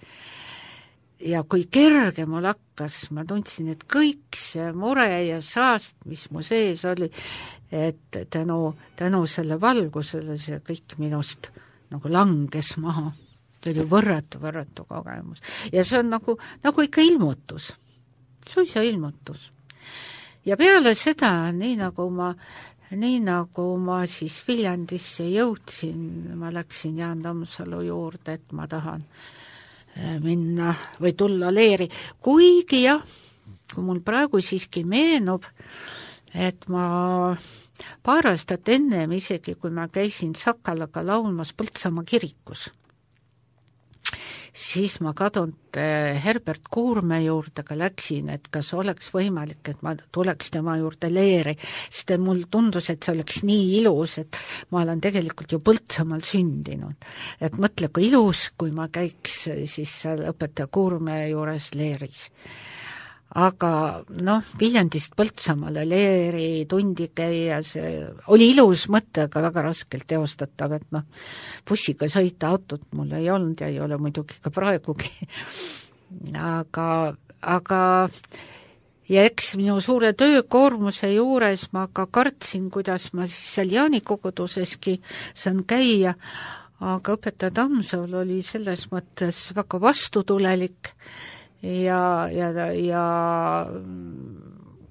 Ja kui kerge mul hakkas, ma tundsin, et kõik see mure ja saast, mis mu sees oli, et tänu, tänu selle valgusele see kõik minust nagu langes maha. See oli võrratu, võrratu kogemus. Ja see on nagu, nagu ikka ilmutus. Suisa ilmutus. Ja peale seda, nii nagu ma, nii nagu ma siis Viljandisse jõudsin, ma läksin Jaan Tammsalu juurde, et ma tahan minna või tulla leeri. Kuigi jah, kui mul praegu siiski meenub, et ma paar aastat ennem isegi, kui ma käisin Sakalaga laulmas Põltsamaa kirikus, siis ma kadunud Herbert Kuurme juurde ka läksin, et kas oleks võimalik, et ma tuleks tema juurde leeri, sest mul tundus, et see oleks nii ilus, et ma olen tegelikult ju Põltsamaal sündinud. Et mõtle, kui ilus, kui ma käiks siis seal õpetaja Kuurme juures leeris. Aga noh, Viljandist Põltsamaale leeri tundi käia, see oli ilus mõte, aga väga raskelt teostatav, et noh, bussiga sõita, autot mul ei olnud ja ei ole muidugi ka praegugi. Aga, aga ja eks minu suure töökoormuse juures ma ka kartsin, kuidas ma siis seal Jaani koguduseski saan käia, aga õpetaja Tammsalu oli selles mõttes väga vastutulelik ja, ja, ja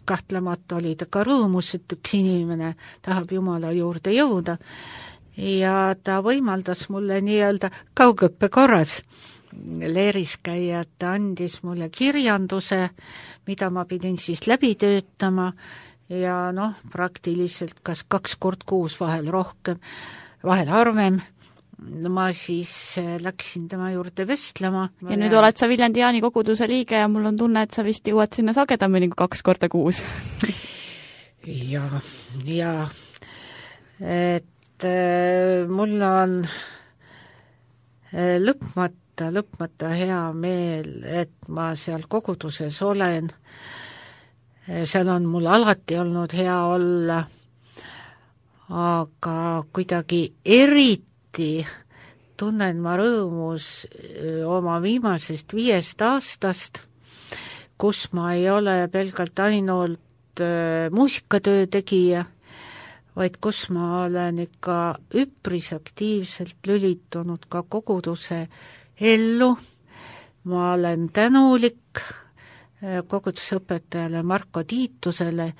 kahtlemata oli ta ka rõõmus, et üks inimene tahab Jumala juurde jõuda ja ta võimaldas mulle nii-öelda kaugõppe korras leeris käia, ta andis mulle kirjanduse, mida ma pidin siis läbi töötama ja noh, praktiliselt kas kaks kord kuus, vahel rohkem, vahel harvem. Ma siis läksin tema juurde vestlema. Ja nüüd ja... oled sa Viljandi Jaani koguduse liige ja mul on tunne, et sa vist jõuad sinna sagedamini kui kaks korda kuus. ja, ja et äh, mul on äh, lõpmata, lõpmata hea meel, et ma seal koguduses olen. Seal on mul alati olnud hea olla, aga kuidagi eriti tunnen ma rõõmus oma viimasest viiest aastast, kus ma ei ole pelgalt ainult muusikatöö tegija, vaid kus ma olen ikka üpris aktiivselt lülitunud ka koguduse ellu. Ma olen tänulik kogudusõpetajale Marko Tiitusele,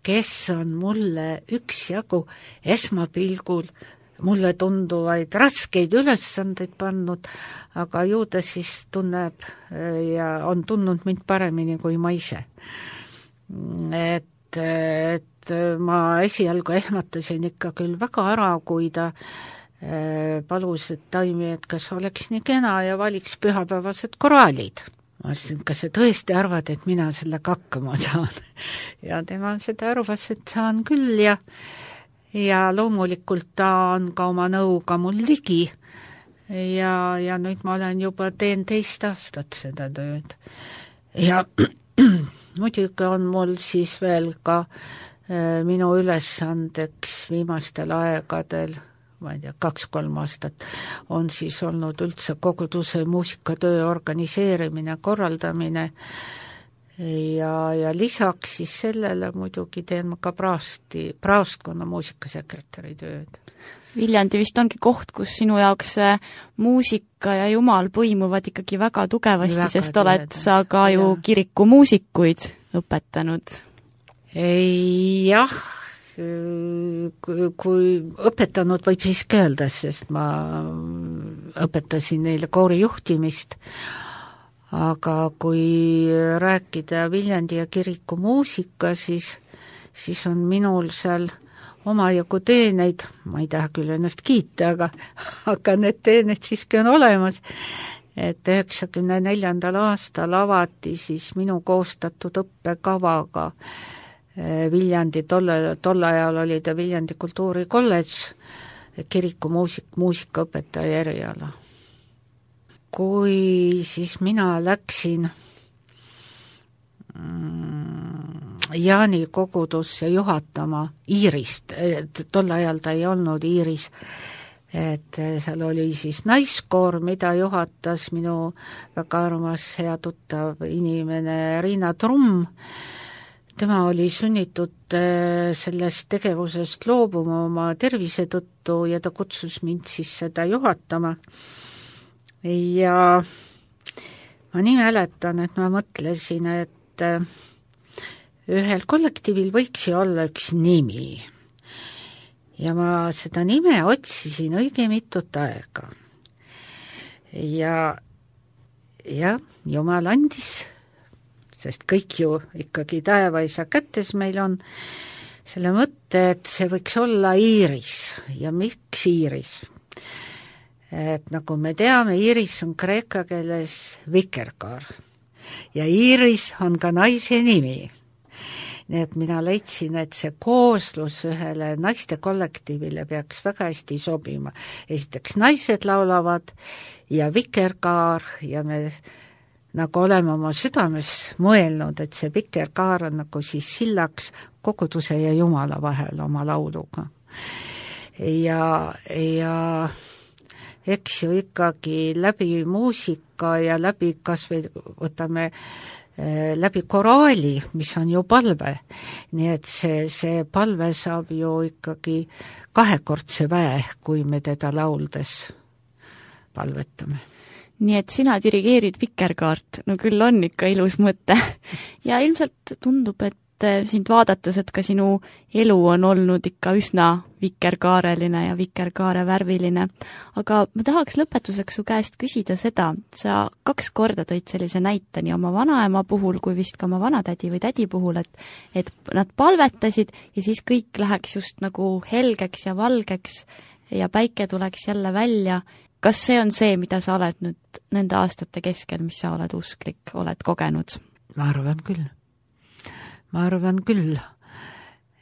kes on mulle üksjagu esmapilgul mulle tunduvaid raskeid ülesandeid pannud, aga ju ta siis tunneb ja on tundnud mind paremini kui ma ise. Et et ma esialgu ehmatasin ikka küll väga ära, kui ta palus, et Taimi, et kas oleks nii kena ja valiks pühapäevased koraalid. Ma ütlesin, kas sa tõesti arvad, et mina sellega hakkama saan? Ja tema seda arvas, et saan küll ja, ja loomulikult ta on ka oma nõuga mul ligi ja, ja nüüd ma olen juba teen teist aastat seda tööd. Ja muidugi on mul siis veel ka äh, minu ülesandeks viimastel aegadel, ma ei tea, kaks-kolm aastat, on siis olnud üldse koguduse muusikatöö organiseerimine, korraldamine ja, ja lisaks siis sellele muidugi teen ma ka praasti, praostkonna muusikasekretäri tööd. Viljandi vist ongi koht, kus sinu jaoks muusika ja jumal põimuvad ikkagi väga tugevasti, väga sest tugevalt. Oled sa ka ju ja. Kiriku muusikuid õpetanud. Ei, jah, kui õpetanud võib siiski öelda, sest ma õpetasin neile koori juhtimist, aga kui rääkida Viljandi ja Kiriku muusika, siis, siis on minul seal omajagu teeneid, ma ei taha küll ennast kiita, aga, aga need teened siiski on olemas, et üheksakümne neljandal aastal avati siis minu koostatud õppekavaga Viljandi, tolle, tolle ajal oli ta Viljandi kultuurikolledž, kiriku muusik, muusikaõpetaja eriala. Kui siis mina läksin mm, Jaani kogudusse juhatama Iirist, tolle ajal ta ei olnud Iiris, et seal oli siis naiskoor, mida juhatas minu väga armas hea tuttav inimene Riina Trumm. Tema oli sunnitud sellest tegevusest loobuma oma tervise tõttu ja ta kutsus mind siis seda juhatama. Ja ma nii mäletan, et ma mõtlesin, et ühel kollektiivil võiks ju olla üks nimi. Ja ma seda nime otsisin õige mitut aega. Ja, ja Jumal andis, sest kõik ju ikkagi taevaisa kätes meil on, selle mõtte, et see võiks olla Iiris. Ja miks Iiris? Et nagu me teame, Iiris on kreeka keeles vikerkaar. Ja Iiris on ka naise nimi. Nii et mina leidsin, et see kooslus ühele naiste kollektiivile peaks väga hästi sobima. Esiteks naised laulavad ja vikerkaar ja me nagu oleme oma südames mõelnud, et see vikerkaar on nagu siis sillaks koguduse ja Jumala vahel oma lauluga. Ja, ja eks ju ikkagi läbi muusika ja läbi kas või võtame läbi koraali, mis on ju palve. Nii et see, see palve saab ju ikkagi kahekordse väe, kui me teda lauldes palvetame. Nii et sina dirigeerid vikerkaart, no küll on ikka ilus mõte. Ja ilmselt tundub, et sind vaadates, et ka sinu elu on olnud ikka üsna vikerkaareline ja vikerkaare värviline. Aga ma tahaks lõpetuseks su käest küsida seda, sa kaks korda tõid sellise näite nii oma vanaema puhul kui vist ka oma vanatädi või tädi puhul, et, et nad palvetasid ja siis kõik läheks just nagu helgeks ja valgeks ja päike tuleks jälle välja. Kas see on see, mida sa oled nüüd nende aastate keskel, mis sa oled usklik, oled kogenud? Ma arvan küll. Ma arvan küll,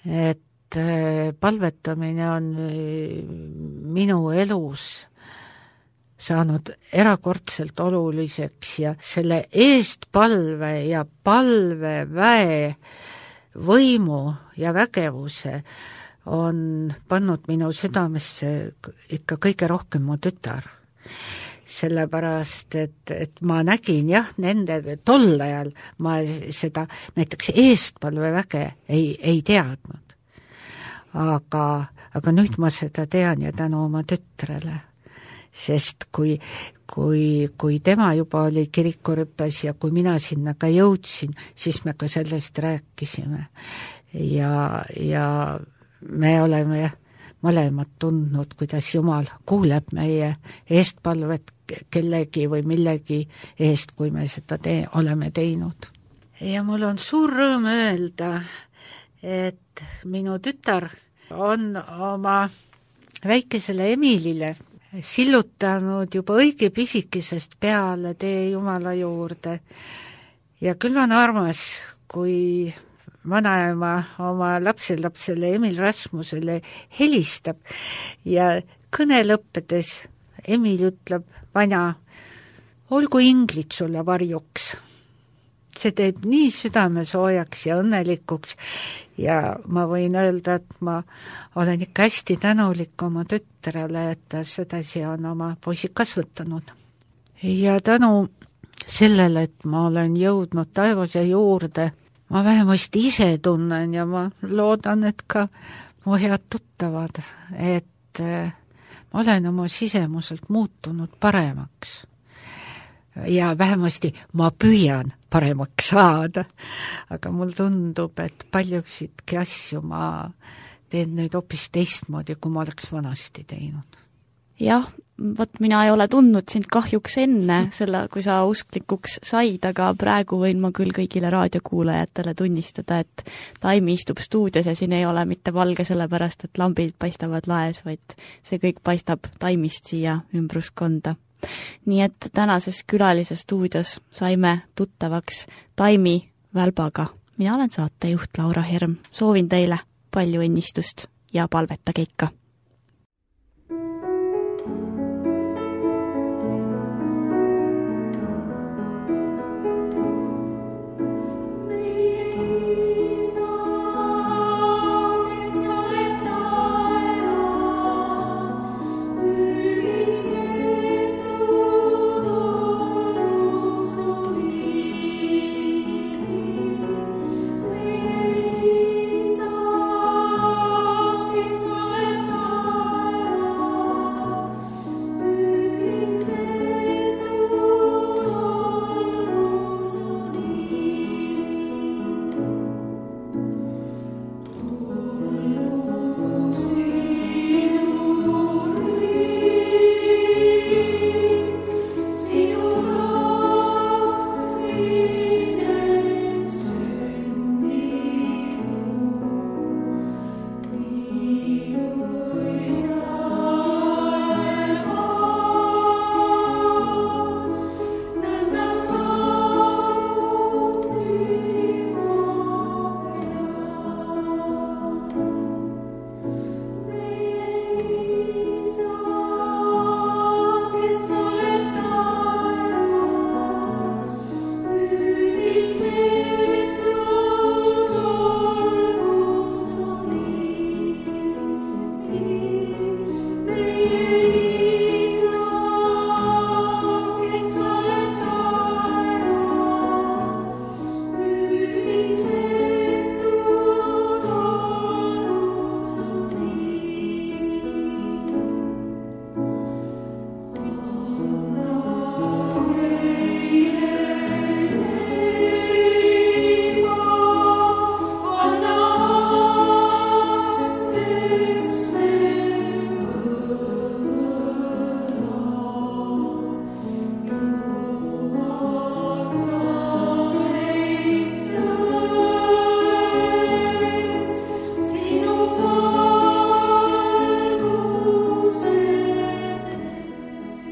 et palvetamine on minu elus saanud erakordselt oluliseks ja selle eestpalve ja palveväe võimu ja vägevuse on pannud minu südamesse ikka kõige rohkem mu tütar. Sellepärast, et, et ma nägin jah, nende tol ajal ma seda näiteks eestpalveväge ei, ei teadnud. Aga, aga nüüd ma seda tean ja tänu oma tütrele. Sest kui, kui, kui tema juba oli kirikurüppes ja kui mina sinna ka jõudsin, siis me ka sellest rääkisime. Ja, ja me oleme mõlemad tundnud, kuidas Jumal kuuleb meie eestpalvet kellegi või millegi eest, kui me seda te- oleme teinud. Ja mul on suur rõõm öelda, et minu tütar on oma väikesele Emilile sillutanud juba õige pisikesest peale tee Jumala juurde. Ja küll on armas, kui vanaema oma lapselapsele Emil Rasmusele helistab ja kõne lõppedes Emil ütleb, vana, olgu inglid sulle varjuks. See teeb nii südame soojaks ja õnnelikuks ja ma võin öelda, et ma olen ikka hästi tänulik oma tütrele, et ta sedasi on oma poisi kasvatanud. Ja tänu sellele, et ma olen jõudnud taevase juurde, ma vähemasti ise tunnen ja ma loodan, et ka mu head tuttavad, et ma olen oma sisemuselt muutunud paremaks. Ja vähemasti ma püüan paremaks saada, aga mul tundub, et paljusidki asju ma teen nüüd hoopis teistmoodi, kui ma oleks vanasti teinud. Jah, vot mina ei ole tundnud sind kahjuks enne selle, kui sa usklikuks said, aga praegu võin ma küll kõigile raadiokuulajatele tunnistada, et Taimi istub stuudios ja siin ei ole mitte valge sellepärast, et lambid paistavad laes, vaid see kõik paistab Taimist siia ümbruskonda. Nii et tänases külalise stuudios saime tuttavaks Taimi Välbaga. Mina olen saatejuht Laura Herm. Soovin teile palju õnnistust ja palvetage ikka.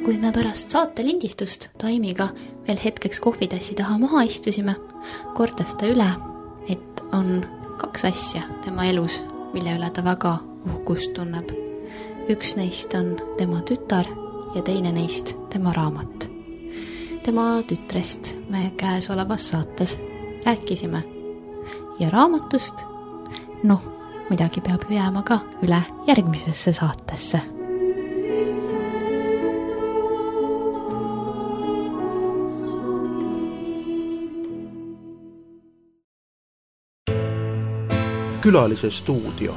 Kui me pärast saate lindistust Taimiga veel hetkeks kohvitassi taha maha istusime, kordas ta üle, et on kaks asja tema elus, mille üle ta väga uhkust tunneb. Üks neist on tema tütar ja teine neist tema raamat. Tema tütrest me käesolevas saates rääkisime ja raamatust, noh, midagi peab jääma ka üle järgmisesse saatesse. Külalise stuudio.